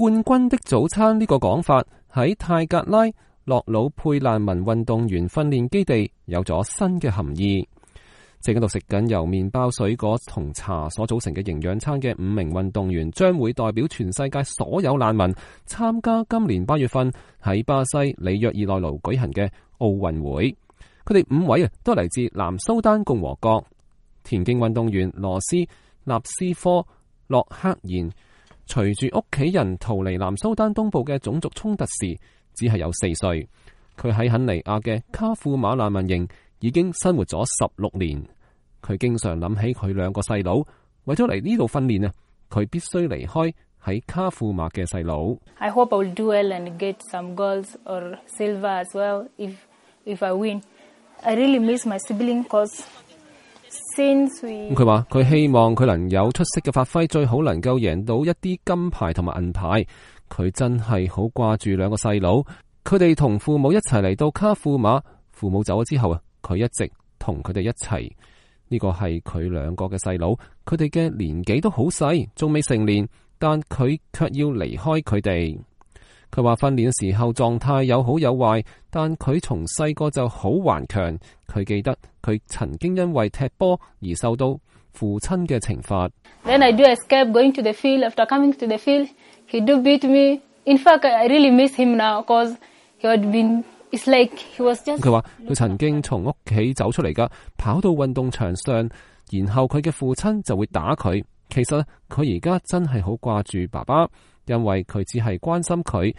冠軍的早餐呢個講法喺泰格拉洛魯佩難民運動員訓練基地有咗新嘅含義。正喺度食緊由麵包、水果同茶所組成嘅營養餐嘅5名運動員，將會代表全世界所有難民參加今年8月份喺巴西里約熱內盧舉行嘅奧運會。佢哋5位都嚟自南蘇丹共和國。田徑運動員羅斯納斯科洛克言，隨住屋企人逃離南蘇丹東部嘅種族衝突時，只係有4歲。佢喺肯尼亞嘅卡庫馬難民營已經生活咗16年。佢經常諗起佢2個細佬，為咗嚟呢度訓練佢必須離開喺卡庫馬嘅細佬。I hope I will do well and get some gold or silver as well if I win. I really miss my sibling cause since we。佢話佢希望佢能有出色嘅發揮，最好能夠贏到一啲金牌同埋銀牌。佢真係好掛住2個細佬，佢哋同父母一齊嚟到卡庫馬，父母走咗之後佢一直同佢哋一齊。呢個係佢2個嘅細佬，佢哋嘅年紀都好細，仲未成年，但佢卻要離開佢哋。佢話訓練嘅時候狀態有好有壞，但佢從細個就好頑強。佢記得佢曾經因為踢波而受到父親嘅懲罰。Then I do escape going to the field. After coming to the field, he do beat me. In fact, I really miss him now because he had been. It's like he was just。佢話佢曾經從屋企走出嚟㗎，跑到運動場上，然後佢嘅父親就會打佢。其實佢而家真係好掛住爸爸，因為佢只係關心佢，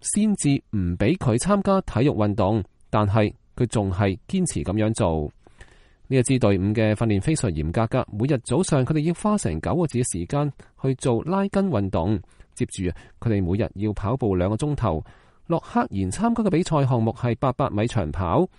先至唔俾佢參加體育運動，但係佢仲係堅持咁樣做。呢一支隊伍嘅訓練非常嚴格㗎，每日早上佢哋要花成9個字嘅時間去做拉筋運動，接住佢哋每日要跑步2個鐘頭。洛克言參加嘅比賽項目係800米長跑。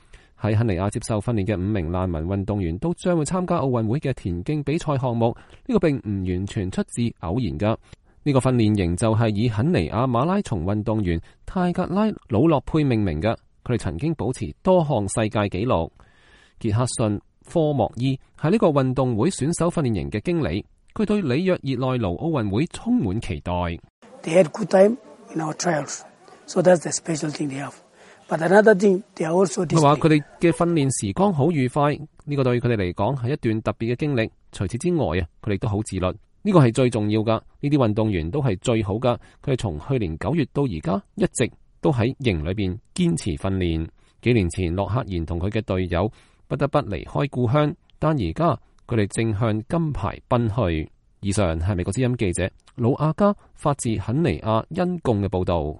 喺肯尼亞接受訓練嘅5名難民運動員都將會參加奧運會嘅田徑比賽項目。呢個並唔完全出自偶然㗎。呢個訓練營就係以肯尼亞馬拉松運動員泰格拉魯洛佩命名㗎。佢哋曾經保持多項世界紀錄。傑克遜科莫伊係呢個運動會選手訓練營嘅經理，佢對里約熱內盧奧運會充滿期待。They had good time in our trials. So that's the special thing they have. But another thing, they are also disciplined. 佢話佢哋嘅訓練時光好愉快，呢個對佢哋嚟講係一段特別嘅經歷。除此之外佢哋都好自律，呢個係最重要噶。呢啲運動員都係最好噶。佢哋從去年9月到而家一直都喺營裏邊堅持訓練。幾年前洛克言同佢嘅隊友不得不離開故鄉，但而家佢哋正向金牌奔去。以上係美國之音記者魯亞加發自肯尼亞恩貢嘅報道。